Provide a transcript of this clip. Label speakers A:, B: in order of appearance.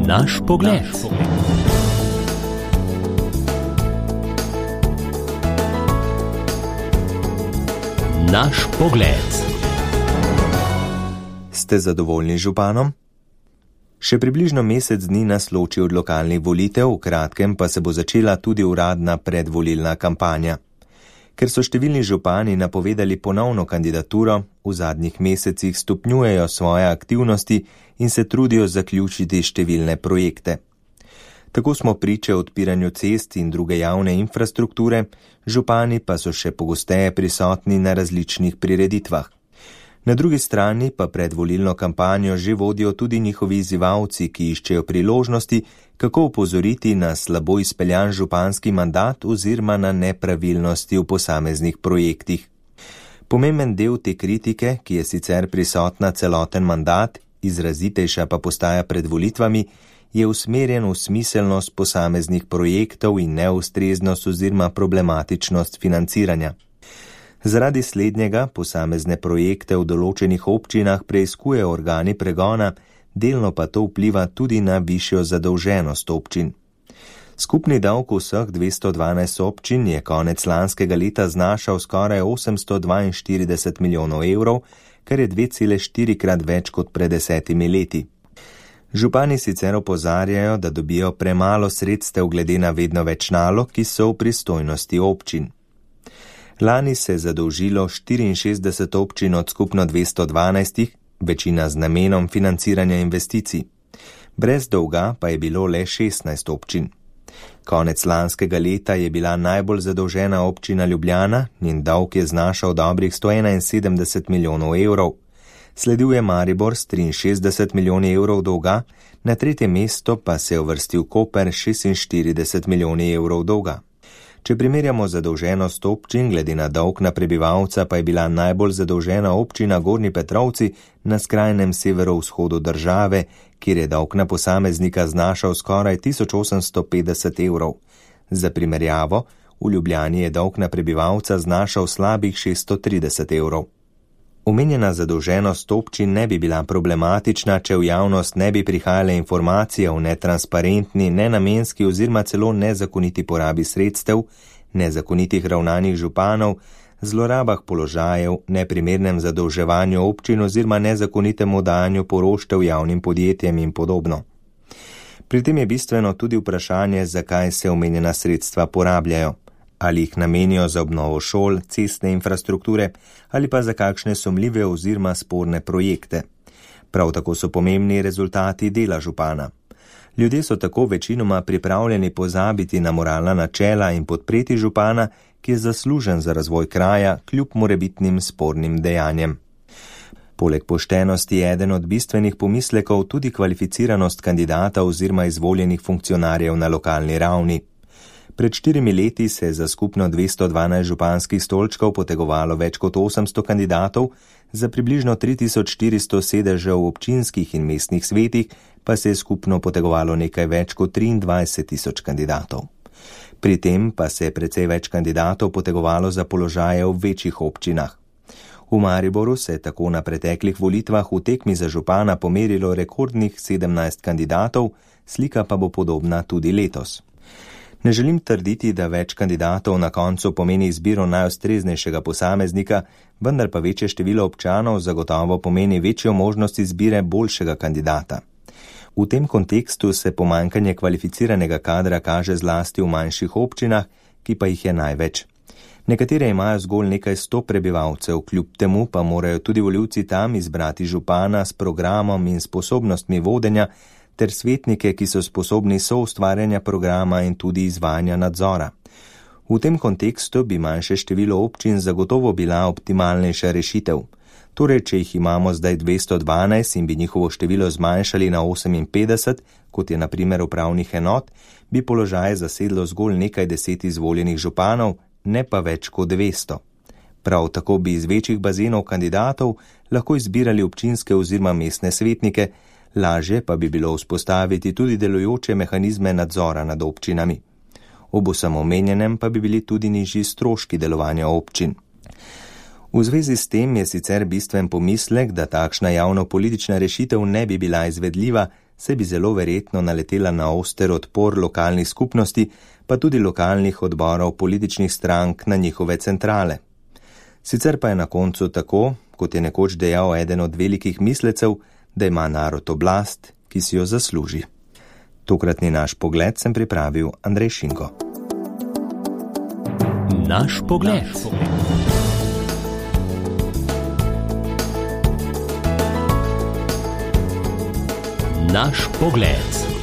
A: Naš pogled. Naš pogled.
B: Ste zadovoljni z županom? Še približno mesec dni nas loči od lokalnih volitev, v kratkem pa se bo začela tudi uradna predvolilna kampanja. Ker so številni župani napovedali ponovno kandidaturo, v zadnjih mesecih stopnjujejo svoje aktivnosti in se trudijo zaključiti številne projekte. Tako smo priče odpiranju cest in druge javne infrastrukture, župani pa so še pogosteje prisotni na različnih prireditvah. Na drugi strani pa predvolilno kampanjo že vodijo tudi njihovi izzivalci, ki iščejo priložnosti, kako opozoriti na slabo izpeljan županski mandat oziroma na nepravilnosti v posameznih projektih. Pomemben del te kritike, ki je sicer prisotna celoten mandat, izrazitejša pa postaja pred volitvami, je usmerjen v smiselnost posameznih projektov in neustreznost oziroma problematičnost financiranja. Zaradi slednjega posamezne projekte v določenih občinah preiskujejo organi pregona, delno pa to vpliva tudi na višjo zadolženost občin. Skupni davek vseh 212 občin je konec lanskega leta znašal skoraj 842 milijonov evrov, kar je 2,4-krat več kot pred 10 leti. Župani sicer opozarjajo, da dobijo premalo sredstev glede na vedno več nalog, ki so v pristojnosti občin. Lani se je zadolžilo 64 občin od skupno 212, večina z namenom financiranja investicij. Brez dolga pa je bilo le 16 občin. Konec lanskega leta je bila najbolj zadolžena občina Ljubljana, njen dolg je znašal dobrih 171 milijonov evrov. Sledil je Maribor s 63 milijoni evrov dolga, na tretje mesto pa se je uvrstil Koper 46 milijoni evrov dolga. Če primerjamo zadolženost občin glede na dolg na prebivalca, pa je bila najbolj zadolžena občina Gornji Petrovci na skrajnem severovzhodu države, kjer je dolg na posameznika znašal skoraj 1850 evrov. Za primerjavo, v Ljubljani je dolg na prebivalca znašal slabih 630 evrov. Omenjena zadolženost občin ne bi bila problematična, če v javnost ne bi prihajale informacije o netransparentni, nenamenski oziroma celo nezakoniti porabi sredstev, nezakonitih ravnanjih županov, zlorabah položajev, neprimernem zadolževanju občin oziroma nezakonitemu dajanju poroštev javnim podjetjem in podobno. Pri tem je bistveno tudi vprašanje, zakaj se omenjena sredstva porabljajo. Ali jih namenijo za obnovo šol, cestne infrastrukture ali pa za kakšne sumljive oziroma sporne projekte. Prav tako so pomembni rezultati dela župana. Ljudje so tako večinoma pripravljeni pozabiti na moralna načela in podpreti župana, ki je zaslužen za razvoj kraja kljub morebitnim spornim dejanjem. Poleg poštenosti je eden od bistvenih pomislekov tudi kvalificiranost kandidata oziroma izvoljenih funkcionarjev na lokalni ravni. Pred 4 leti se je za skupno 212 županskih stolčkov potegovalo več kot 800 kandidatov, za približno 3400 sedežev v občinskih in mestnih svetih pa se je skupno potegovalo nekaj več kot 23 000 kandidatov. Pri tem pa se je precej več kandidatov potegovalo za položaje v večjih občinah. V Mariboru se je tako na preteklih volitvah v tekmi za župana pomerilo rekordnih 17 kandidatov, slika pa bo podobna tudi letos. Ne želim trditi, da več kandidatov na koncu pomeni izbiro najustreznejšega posameznika, vendar pa večje število občanov zagotovo pomeni večjo možnost izbire boljšega kandidata. V tem kontekstu se pomanjkanje kvalificiranega kadra kaže zlasti v manjših občinah, ki pa jih je največ. Nekatere imajo zgolj nekaj 100 prebivalcev, kljub temu pa morajo tudi volivci tam izbrati župana s programom in sposobnostmi vodenja, ter svetnike, ki so sposobni soustvarjanja programa in tudi izvajanja nadzora. V tem kontekstu bi manjše število občin zagotovo bila optimalnejša rešitev. Torej, če jih imamo zdaj 212 in bi njihovo število zmanjšali na 58, kot je na primer upravnih enot, bi položaje zasedlo zgolj nekaj 10 izvoljenih županov, ne pa več kot 200. Prav tako bi iz večjih bazenov kandidatov lahko izbirali občinske oziroma mestne svetnike, lažje pa bi bilo vzpostaviti tudi delujoče mehanizme nadzora nad občinami. Ob vsem omenjenem pa bi bili tudi nižji stroški delovanja občin. V zvezi s tem je sicer bistven pomislek, da takšna javnopolitična rešitev ne bi bila izvedljiva, se bi zelo verjetno naletela na oster odpor lokalnih skupnosti, pa tudi lokalnih odborov političnih strank na njihove centrale. Sicer pa je na koncu tako, kot je nekoč dejal eden od velikih mislecev, da ima narod oblast, ki si jo zasluži. Tokratni naš pogled sem pripravil Andrej Šinko.
A: Naš pogled. Naš pogled.